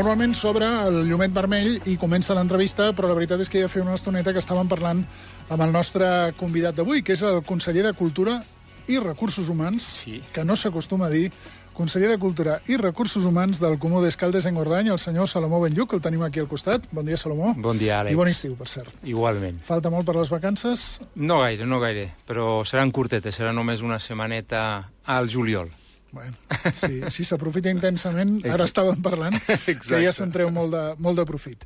Normalment s'obre el llumet vermell i comença l'entrevista, però la veritat és que ja feia una estoneta que estàvem parlant amb el nostre convidat d'avui, que és el conseller de Cultura i Recursos Humans, que no s'acostuma a dir, conseller de Cultura i Recursos Humans del Comú d'Escaldes-Engordany, el senyor Salomó Benlluc, que el tenim aquí al costat. Bon dia, Salomó. Bon dia, Àlex. I bon estiu, per cert. Igualment. Falta molt per les vacances? No gaire, però seran curtetes, serà només una setmaneta al juliol. Bueno, sí, si s'aprofita intensament, ara estàvem parlant, que ja se'n treu molt de profit.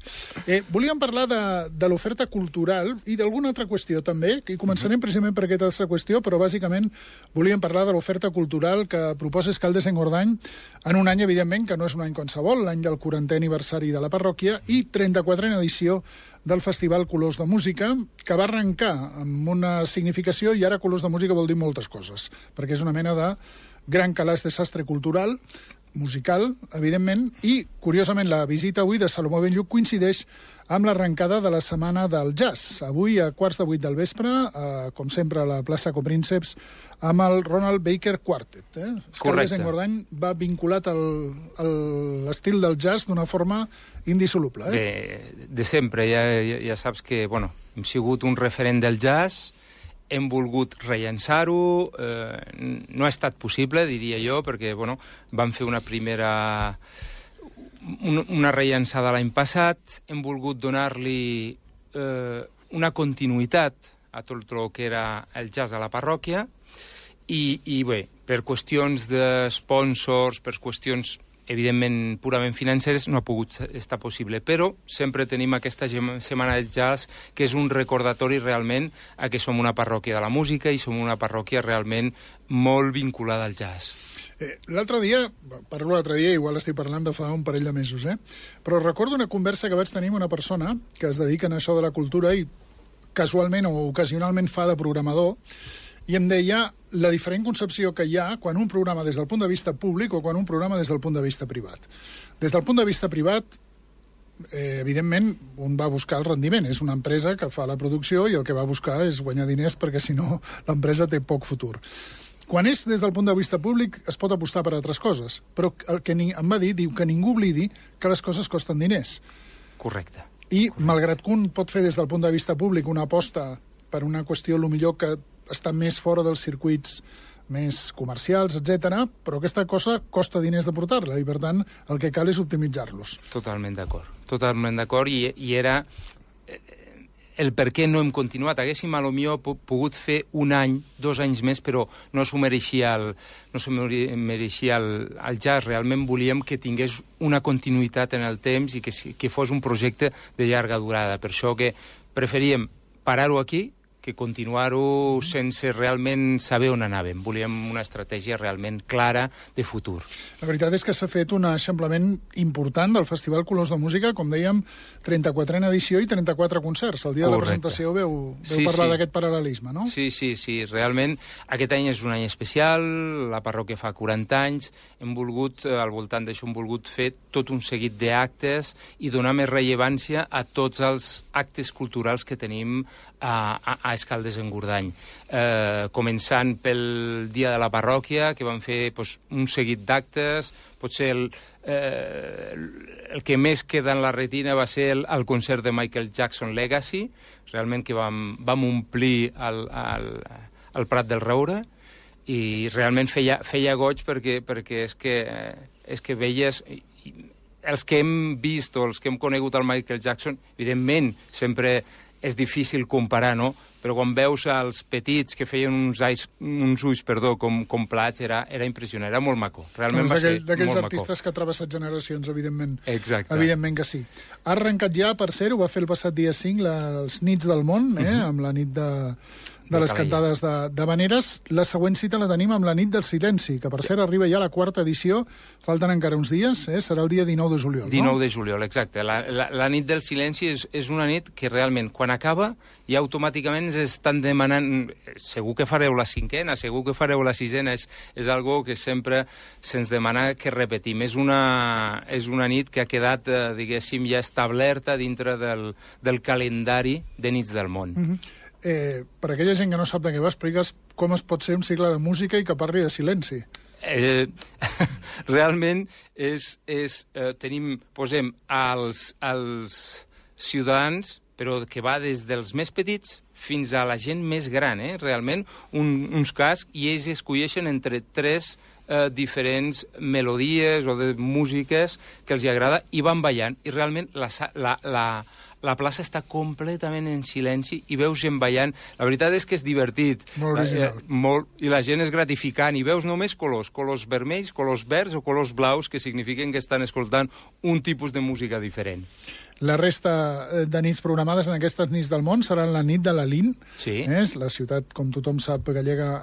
Volíem parlar de l'oferta cultural i d'alguna altra qüestió també, i començarem precisament per aquesta altra qüestió, però bàsicament volíem parlar de l'oferta cultural que proposa Escaldes-Engordany en un any, evidentment, que no és un any qualsevol, l'any del 40è aniversari de la parròquia i 34a edició del Festival Colors de Música, que va arrencar amb una significació, i ara Colors de Música vol dir moltes coses, perquè és una mena de gran calaix de sastre cultural, musical, evidentment, i, curiosament, la visita avui de Salomó Benlluc coincideix amb l'arrencada de la Setmana del Jazz. Avui, a 7:15 del vespre, com sempre, a la plaça Coprínceps, amb el Ronald Baker Quartet. Escaldes-Engordany va vinculat a l'estil del jazz d'una forma indissoluble. Bé, de sempre. Ja saps que, bueno, hem sigut un referent del jazz, hem volgut rellençar-ho, no ha estat possible, diria jo, perquè bueno, vam fer una rellençada l'any passat, hem volgut donar-li una continuïtat a tot el que era el jazz a la parròquia i bé, per qüestions de sponsors, per qüestions evidentment purament financeres, no ha pogut estar possible, però sempre tenim aquesta Setmana del Jazz, que és un recordatori realment a que som una parròquia de la música i som una parròquia realment molt vinculada al jazz. L'altre dia, igual estic parlant de fa un parell de mesos, però recordo una conversa que vaig tenir amb una persona que es dedica a això de la cultura i casualment o ocasionalment fa de programador, i em deia la diferent concepció que hi ha quan un programa des del punt de vista públic o quan un programa des del punt de vista privat. Des del punt de vista privat, evidentment, un va buscar el rendiment. És una empresa que fa la producció i el que va buscar és guanyar diners perquè, si no, l'empresa té poc futur. Quan és des del punt de vista públic, es pot apostar per altres coses. Però el que em va dir, diu que ningú oblidi que les coses costen diners. Correcte. I, malgrat que un pot fer des del punt de vista públic una aposta per una qüestió, millor que està més fora dels circuits més comercials, etc., però aquesta cosa costa diners de portar-la i, per tant, el que cal és optimitzar-los. Totalment d'acord, i era el per què no hem continuat. Haguéssim, potser, pogut fer un any, 2 anys més, però no s'ho mereixia el jazz. Realment volíem que tingués una continuïtat en el temps i que fos un projecte de llarga durada. Per això que preferíem parar-ho aquí que continuar-ho sense realment saber on anàvem. Volíem una estratègia realment clara de futur. La veritat és que s'ha fet un eixamplament important del Festival Colors de Música, com dèiem, 34a edició i 34 concerts. El dia de la presentació veu parlar d'aquest paral·lelisme, no? Sí. Realment, aquest any és un any especial, la parròquia fa 40 anys, hem volgut, al voltant d'això, hem volgut fer tot un seguit d'actes i donar més rellevància a tots els actes culturals que tenim a Escaldes-Engordany. Començant pel dia de la parròquia, que vam fer un seguit d'actes, potser el que més queda en la retina va ser el concert de Michael Jackson Legacy, realment que vam omplir el Prat del Roure, i realment feia goig perquè és que veies els que hem vist o els que hem conegut el Michael Jackson, evidentment sempre és difícil comparar, no? Però quan veus els petits que feien uns ulls com plats, era impressionant, era molt maco. Realment va ser molt maco. D'aquells artistes que ha travessat generacions, evidentment. Exacte. Evidentment que sí. Ha arrencat ja, per ser, ho va fer el passat dia 5, les Nits del Món, amb la nit de les cantades de Vaneres. La següent cita la tenim amb la Nit del Silenci, que per cert arriba ja a la 4ª edició, falten encara uns dies, serà el dia 19 de juliol. 19 de juliol, exacte. La Nit del Silenci és una nit que realment, quan acaba, ja automàticament estan demanant, segur que fareu la 5a, segur que fareu la 6a, és algo que sempre se'ns demana que repetim. És una nit que ha quedat, diguéssim, ja establerta dintre del calendari de Nits del Món. Per aquella gent que no sap de què va, expliques com es pot ser un cicle de música i que parli de silenci. Realment posem els ciutadans, però que va des dels més petits fins a la gent més gran, realment, uns cascs, i ells escolleixen entre 3 diferents melodies o de músiques que els agrada i van ballant. I realment la plaça està completament en silenci i veus gent ballant. La veritat és que és divertit. Molt original. I la gent és gratificant. I veus només colors vermells, colors verds o colors blaus, que signifiquen que estan escoltant un tipus de música diferent. La resta de nits programades en aquestes nits del món seran la nit de l'Alín, la ciutat, com tothom sap, gallega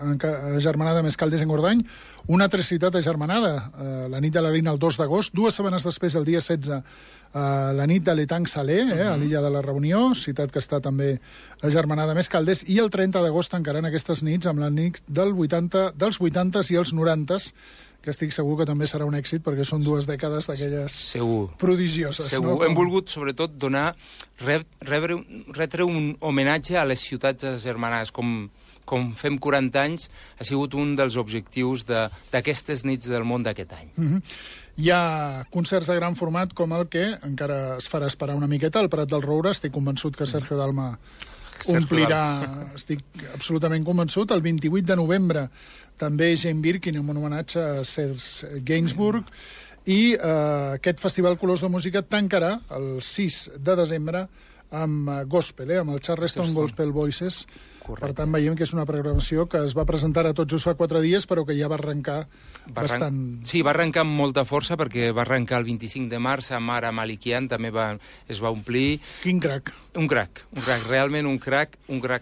agermanada més Caldes-Engordany, una altra ciutat agermanada, la nit de l'Alín el 2 d'agost, 2 setmanes després, el dia 16, la nit de l'Etang Salé, a l'illa de la Reunió, ciutat que està també agermanada més Caldes, i el 30 d'agost tancaran aquestes nits amb la nit dels 80s i els 90s, que estic segur que també serà un èxit, perquè són 2 dècades d'aquelles prodigioses. Segur. Hem volgut, sobretot, retre un homenatge a les ciutats agermanades. Com fem 40 anys, ha sigut un dels objectius d'aquestes nits del món d'aquest any. Hi ha concerts de gran format com el que encara es farà esperar una miqueta, al Prat del Roure. Estic convençut que Sergio Dalma omplirà, estic absolutament convençut. El 28 de novembre també Jane Birkin, en un homenatge a Serge Gainsbourg, i aquest Festival Colors de Música tancarà el 6 de desembre amb gospel, amb el Charleston Gospel Voices. Correcte. Per tant, veiem que és una programació que es va presentar a tot just fa 4 dies, però que ja va arrencar bastant... Sí, va arrencar amb molta força, perquè va arrencar el 25 de març amb Ara Malikian, també es va omplir... Quin crac. Un crac, realment un crac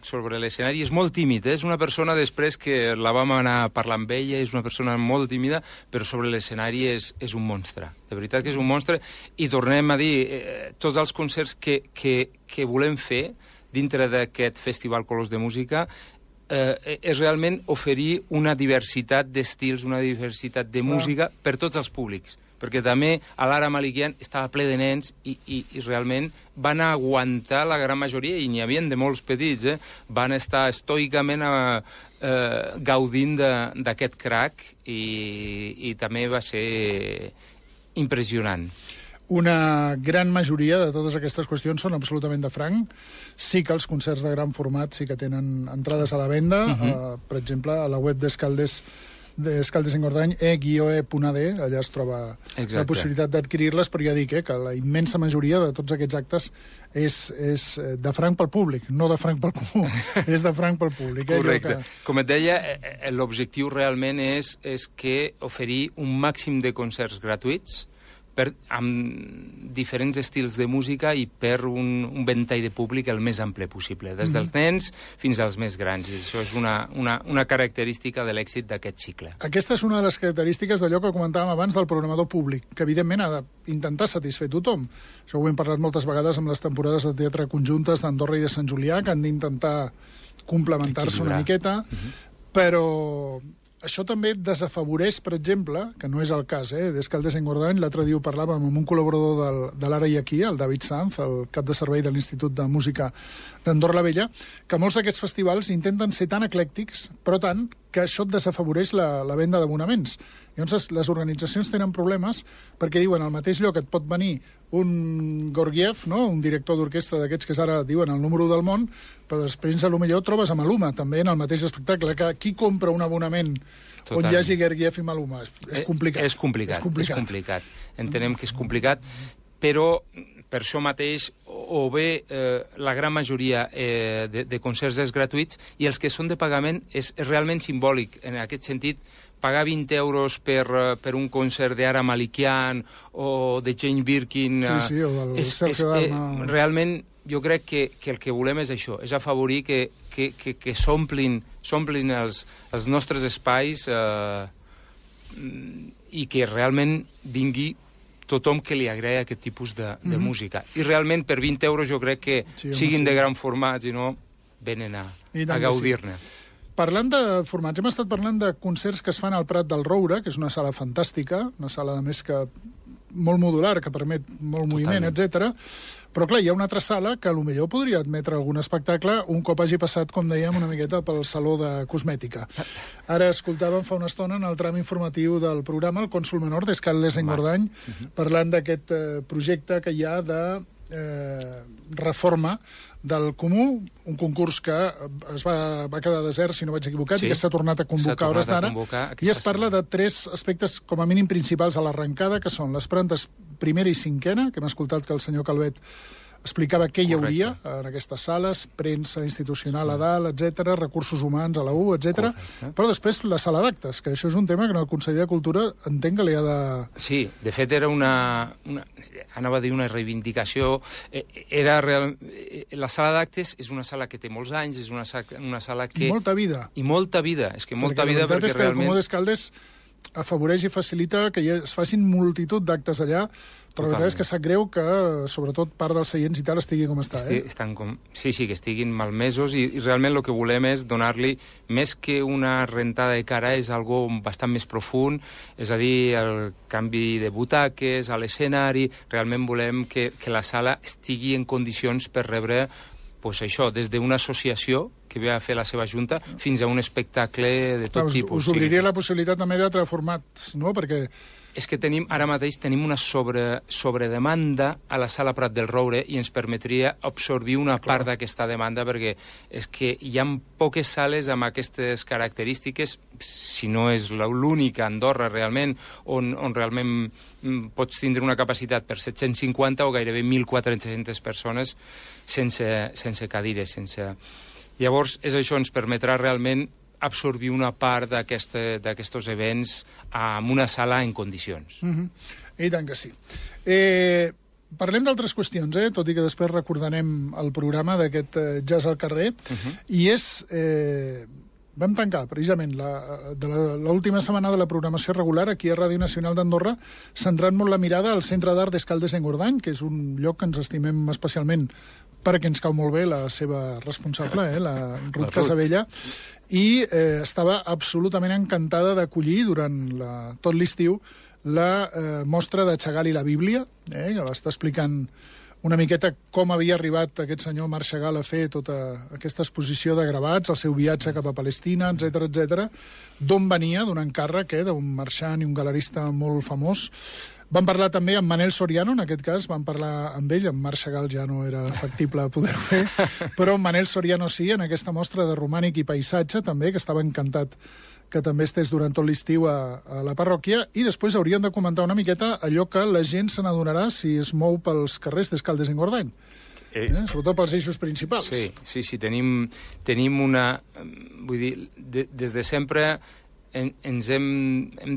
sobre l'escenari. És molt tímid, és una persona, després que la vam anar a parlar amb ella, és una persona molt tímida, però sobre l'escenari és un monstre. De veritat que és un monstre. I tornem a dir, tots els concerts que volem fer dintre d'aquest Festival Colors de Música és realment oferir una diversitat d'estils, una diversitat de música per tots els públics. Perquè també a l'Ara Malikian estava ple de nens i realment van aguantar la gran majoria, i n'hi havia de molts petits, van estar estoicament gaudint d'aquest crac i també va ser impressionant. Una gran majoria de totes aquestes qüestions són absolutament de franc. Sí que els concerts de gran format sí que tenen entrades a la venda. Per exemple, a la web d'Escaldes-Engordany, e-e.ad, allà es troba la possibilitat d'adquirir-les, però ja dic que la immensa majoria de tots aquests actes és de franc pel públic, no de franc pel comú, és de franc pel públic. Correcte. Com et deia, l'objectiu realment és que oferir un màxim de concerts gratuïts amb diferents estils de música i per un ventall de públic el més ample possible, des dels nens fins als més grans. I això és una característica de l'èxit d'aquest cicle. Aquesta és una de les característiques d'allò que comentàvem abans del programador públic, que evidentment ha d'intentar satisfer tothom. Això ho hem parlat moltes vegades amb les temporades de teatre conjuntes d'Andorra i de Sant Julià, que han d'intentar complementar-se una miqueta, però... Això també desafavoreix, per exemple, que no és el cas, d'Escaldes-Engordany. L'altre dia ho parlàvem amb un col·laborador de l'Ara i Aquí, el David Sanz, el cap de servei de l'Institut de Música d'Andorra la Vella, que molts d'aquests festivals intenten ser tan eclèctics, però tant, que això desafavoreix la venda d'abonaments. Llavors, les organitzacions tenen problemes perquè diuen al mateix lloc et pot venir un Gorgiev, no? Un director d'orquestra d'aquests que ara diuen el número 1 del món, però després potser trobes a Maluma també en el mateix espectacle. Que qui compra un abonament on hi hagi Gorgiev i Maluma? És complicat. És complicat. Entenem que és complicat, però per això mateix o bé la gran majoria de concerts és gratuïts i els que són de pagament és realment simbòlic. En aquest sentit, pagar 20 euros per un concert d'Ara Malikian o de Jane Birkin... Sí, o del Sergio Dalma... Realment, jo crec que el que volem és això, és afavorir que s'omplin els nostres espais i que realment vingui tothom que li agrada aquest tipus de música. I realment per 20 euros jo crec que siguin de gran format, i no venen a gaudir-ne. Parlant de formats, hem estat parlant de concerts que es fan al Prat del Roure, que és una sala fantàstica, una sala, a més, que molt modular, que permet molt moviment, etc. Però, clar, hi ha una altra sala que potser podria admetre algun espectacle un cop hagi passat, com dèiem, una miqueta pel saló de cosmètica. Ara escoltàvem fa una estona en el tram informatiu del programa el cònsol menor d'Escaldes-Engordany parlant d'aquest projecte que hi ha de reforma del Comú, un concurs que va quedar desert, si no vaig equivocat, i que s'ha tornat a convocar a hores d'ara. I es parla de 3 aspectes, com a mínim, principals a l'arrencada, que són les plantes primera i cinquena, que hem escoltat que el senyor Calvet explicava què hi hauria en aquestes sales, premsa institucional a dalt, etc., recursos humans a la U, etc. Però després la sala d'actes, que això és un tema que en el Consell de Cultura entenc que li ha de... Sí, de fet era anava a dir una reivindicació. La sala d'actes és una sala que té molts anys, és una sala que... I molta vida. I molta vida, és que molta vida perquè realment... La veritat és que el Comú d'Escaldes afavoreix i facilita que es facin multitud d'actes allà, però la veritat és que sap greu que, sobretot, part dels seients i tal estigui com està. Sí, que estiguin malmesos i realment el que volem és donar-li, més que una rentada de cara, és algo bastant més profund, és a dir, el canvi de butaques, a l'escenari, realment volem que la sala estigui en condicions per rebre pues això, des d'una associació que ve a fer la seva junta fins a un espectacle de tot tipus. Us obriria la possibilitat també d'altres formats, no? Perquè... És que ara mateix tenim una sobredemanda a la Sala Prat del Roure i ens permetria absorbir una part d'aquesta demanda, perquè és que hi ha poques sales amb aquestes característiques, si no és l'única a Andorra realment, on realment pots tindre una capacitat per 750 o gairebé 1.400 persones sense cadires. Llavors, això ens permetrà realment absorbir una part d'aquests events en una sala en condicions. I tant que sí. Parlem d'altres qüestions, tot i que després recordarem el programa d'aquest Jazz al carrer, i és... Vam tancar, precisament, l'última setmana de la programació regular aquí a Ràdio Nacional d'Andorra, centrant molt la mirada al Centre d'Art d'Escaldes-Engordany, que és un lloc que ens estimem especialment perquè ens cau molt bé la seva responsable, la Ruth Casabella, i estava absolutament encantada d'acollir durant tot l'estiu la mostra de Chagall i la Bíblia, que va estar explicant una miqueta com havia arribat aquest senyor Marc Chagall a fer tota aquesta exposició de gravats, el seu viatge cap a Palestina, etc., d'on venia, d'un encàrrec d'un marxant i un galerista molt famós. Vam parlar també amb Manel Soriano, en aquest cas, vam parlar amb ell, amb Marc Chagall ja no era factible poder-ho fer, però Manel Soriano sí, en aquesta mostra de romànic i paisatge també, que estava encantat que també estés durant tot l'estiu a la parròquia, i després hauríem de comentar una miqueta allò que la gent se n'adonarà si es mou pels carrers d'Escaldes-Engordany. Sobretot pels eixos principals. Sí, tenim una... Vull dir, des de sempre ens hem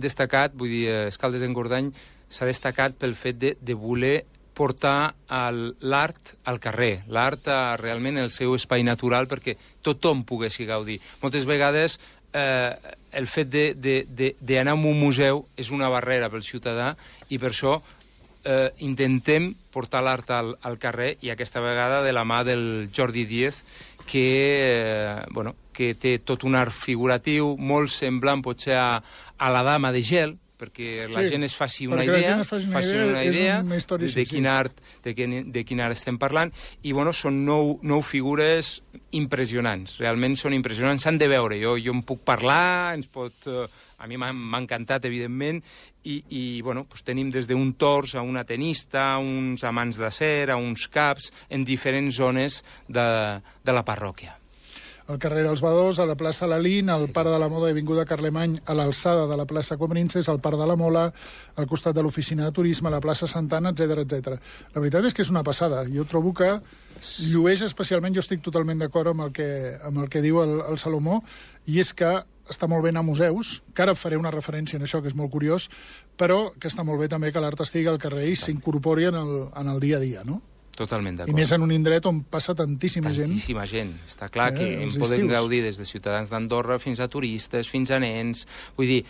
destacat, vull dir, Escaldes-Engordany s'ha destacat pel fet de voler portar l'art al carrer, l'art realment en el seu espai natural perquè tothom poguessi gaudir. Moltes vegades el fet d'anar a un museu és una barrera pel ciutadà i per això intentem portar l'art al carrer i aquesta vegada de la mà del Jordi Díez que té tot un art figuratiu molt semblant potser a la Dama de Gel, perquè la gent es faci una idea de quin art estem parlant, i són 9 figures impressionants, realment són impressionants, s'han de veure, jo en puc parlar, a mi m'ha encantat, evidentment, i tenim des d'un tors a una tenista, a uns amants d'acer, a uns caps, en diferents zones de la parròquia. Al carrer dels Badors, a la plaça Lalín, al Parc de la Moda i Avinguda Carlemany, a l'alçada de la plaça Comrinces, al Parc de la Mola, al costat de l'oficina de turisme, a la plaça Santana, etc. La veritat és que és una passada. Jo trobo que llueix especialment, jo estic totalment d'acord amb el que diu el Salomó, i és que està molt bé anar a museus, que ara faré una referència en això, que és molt curiós, però que està molt bé també que l'art estigui al carrer i s'incorpori en el dia a dia, no? Totalment d'acord. I més en un indret on passa tantíssima gent. Tantíssima gent. Està clar que en poden gaudir des de ciutadans d'Andorra fins a turistes, fins a nens. Vull dir,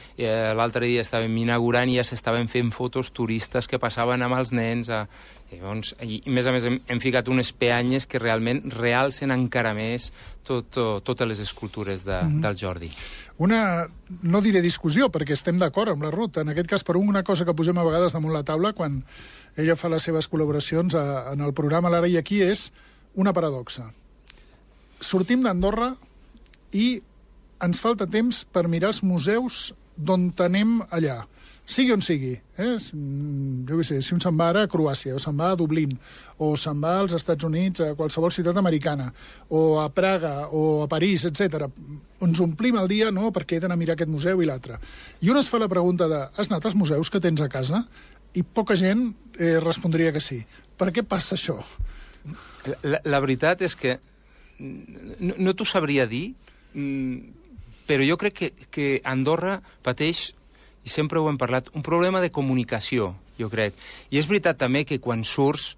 l'altre dia estàvem inaugurant i ja s'estaven fent fotos turistes que passaven amb els nens. Llavors, i a més hem ficat unes peanyes que realment realcen encara més totes les escultures del Jordi. Una, no diré discussió, perquè estem d'acord amb la Ruth. En aquest cas, per una cosa que posem a vegades damunt la taula, quan ella fa les seves col·laboracions en el programa L'Ara i Aquí, és una paradoxa. Sortim d'Andorra i ens falta temps per mirar els museus d'on anem allà, sigui on sigui. Jo què sé, si un se'n va ara a Croàcia, o se'n va a Dublín, o se'n va als Estats Units, a qualsevol ciutat americana, o a Praga, o a París, etc. Ens omplim el dia, no?, perquè he d'anar a mirar aquest museu i l'altre. I un es fa la pregunta de, has anat als museus que tens a casa? I poca gent respondria que sí. Per què passa això? La veritat és que no t'ho sabria dir, però jo crec que Andorra pateix, i sempre ho hem parlat, un problema de comunicació, jo crec. I és veritat també que quan surts,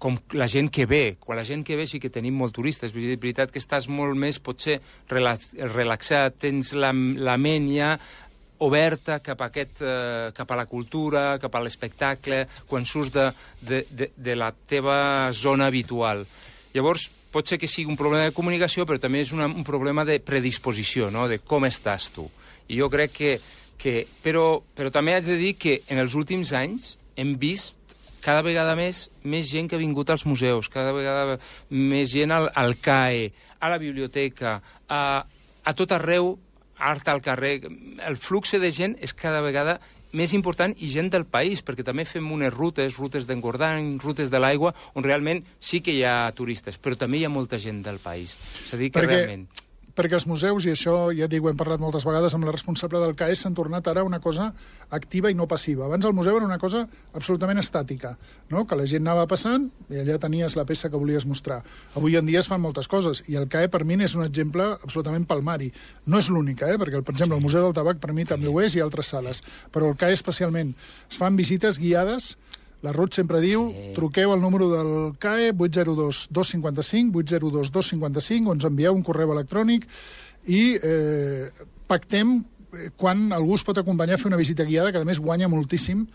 com la gent que ve, quan la gent que ve sí que tenim molt turistes, és veritat que estàs molt més, potser, relaxat, tens la ment ja oberta cap a la cultura, cap a l'espectacle, quan surts de la teva zona habitual. Llavors, pot ser que sigui un problema de comunicació, però també és un problema de predisposició, no?, de com estàs tu. I jo crec però també haig de dir que en els últims anys hem vist cada vegada més gent que ha vingut als museus, cada vegada més gent al CAE, a la biblioteca, a tot arreu, art al carrer. El flux de gent és cada vegada més important, i gent del país, perquè també fem unes rutes d'engordany, rutes de l'aigua, on realment sí que hi ha turistes, però també hi ha molta gent del país. És a dir, que realment... Perquè els museus, i això ja dic, ho hem parlat moltes vegades amb la responsable del CAE, s'han tornat ara una cosa activa i no passiva. Abans el museu era una cosa absolutament estàtica, no?, que la gent anava passant i allà tenies la peça que volies mostrar. Avui en dia es fan moltes coses, i el CAE per mi és un exemple absolutament palmari. No és l'única, perquè, per exemple, el Museu del Tabac per mi també ho és, i altres sales, però el CAE especialment. Es fan visites guiades. La Ruth sempre diu, truqueu al número del CAE, 802 255, 802 255, o ens envieu un correu electrònic i pactem quan algú es pot acompanyar a fer una visita guiada, que a més guanya moltíssim,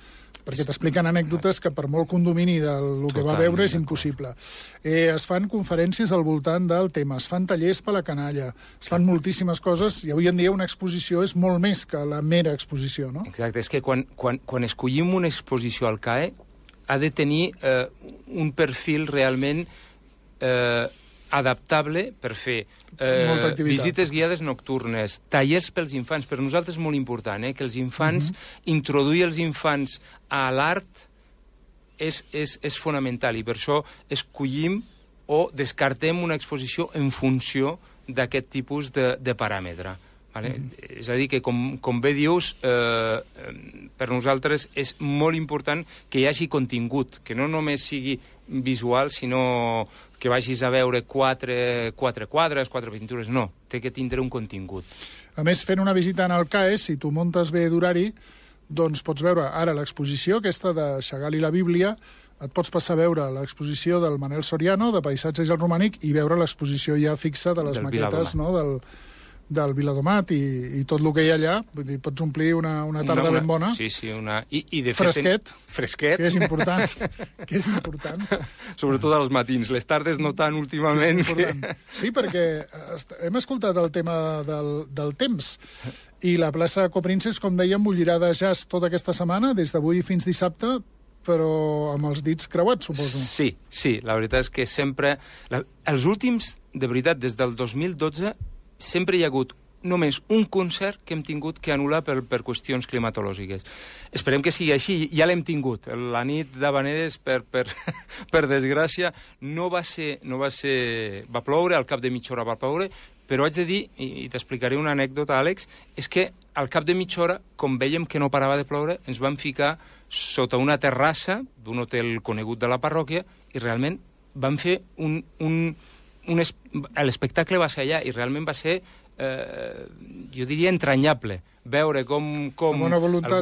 perquè t'expliquen anècdotes que per molt condomini del que va veure és impossible. Es fan conferències al voltant del tema, es fan tallers per la canalla, es fan moltíssimes coses, i avui en dia una exposició és molt més que la mera exposició, no? Exacte, és que quan escollim una exposició al CAE ha de tenir un perfil realment adaptable per fer visites guiades nocturnes, tallers pels infants. Per nosaltres és molt important que els infants, introduir els infants a l'art és fonamental, i per això escollim o descartem una exposició en funció d'aquest tipus de paràmetre. Vale? És a dir, que com bé dius, per nosaltres és molt important que hi hagi contingut, que no només sigui visual, sinó que vagis a veure quatre quadres, 4 pintures. No, té que tindre un contingut. A més, fent una visita en el CAE, si tu muntes bé d'horari, doncs pots veure ara l'exposició aquesta de Chagall i la Bíblia, et pots passar a veure l'exposició del Manel Soriano, de Paisatge i el Romànic, i veure l'exposició ja fixa de les maquetes, no?, del Viladomat i tot el que hi ha allà. Vull dir, pots omplir una tarda ben bona. Sí, i de fet... Fresquet. Que és important. Sobretot als matins. Les tardes no tant últimament. Sí, perquè hem escoltat el tema del temps. I la plaça Coprinces, com dèiem, bullirà de jazz tota aquesta setmana, des d'avui fins dissabte, però amb els dits creuats, suposo. Sí, la veritat és que sempre... Els últims, de veritat, des del 2012... sempre hi ha hagut només un concert que hem tingut que anul·lar per qüestions climatològiques. Esperem que sigui així, ja l'hem tingut. La nit d'Havaneres, per desgràcia, no va ser... Va ploure, al cap de mitja hora va ploure, però haig de dir, i t'explicaré una anècdota, Àlex, és que al cap de mitja hora, com vèiem que no parava de ploure, ens vam ficar sota una terrassa d'un hotel conegut de la parròquia i realment vam fer l'espectacle va ser allà i realment va ser, jo diria, entranyable. Veure com el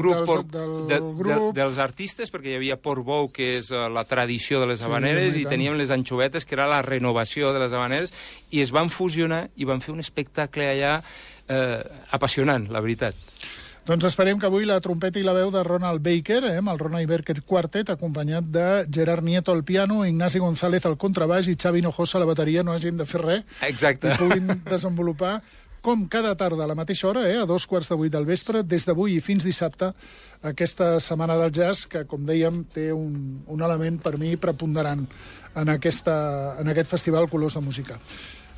grup dels artistes, perquè hi havia Portbou, que és la tradició de les Havaneres, i teníem les Anxovetes, que era la renovació de les Havaneres, i es van fusionar i van fer un espectacle allà apassionant, la veritat. Doncs esperem que avui la trompeta i la veu de Ronald Baker, el Ronald Baker Quartet, acompanyat de Gerard Nieto al piano, Ignasi González al contrabaix i Xavi Hinojosa a la bateria, no hagin de fer res. Exacte. I puguin desenvolupar, com cada tarda a la mateixa hora, a 2:15 del vespre, des d'avui i fins dissabte, aquesta setmana del jazz, que, com dèiem, té un element per mi preponderant en aquest festival Colors de Música.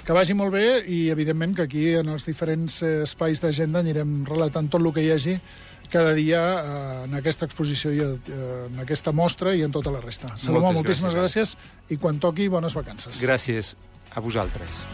Que vagi molt bé i, evidentment, que aquí, en els diferents espais d'agenda, anirem relatant tot el que hi hagi cada dia en aquesta exposició i en aquesta mostra i en tota la resta. Salomó, moltíssimes gràcies i quan toqui, bones vacances. Gràcies a vosaltres.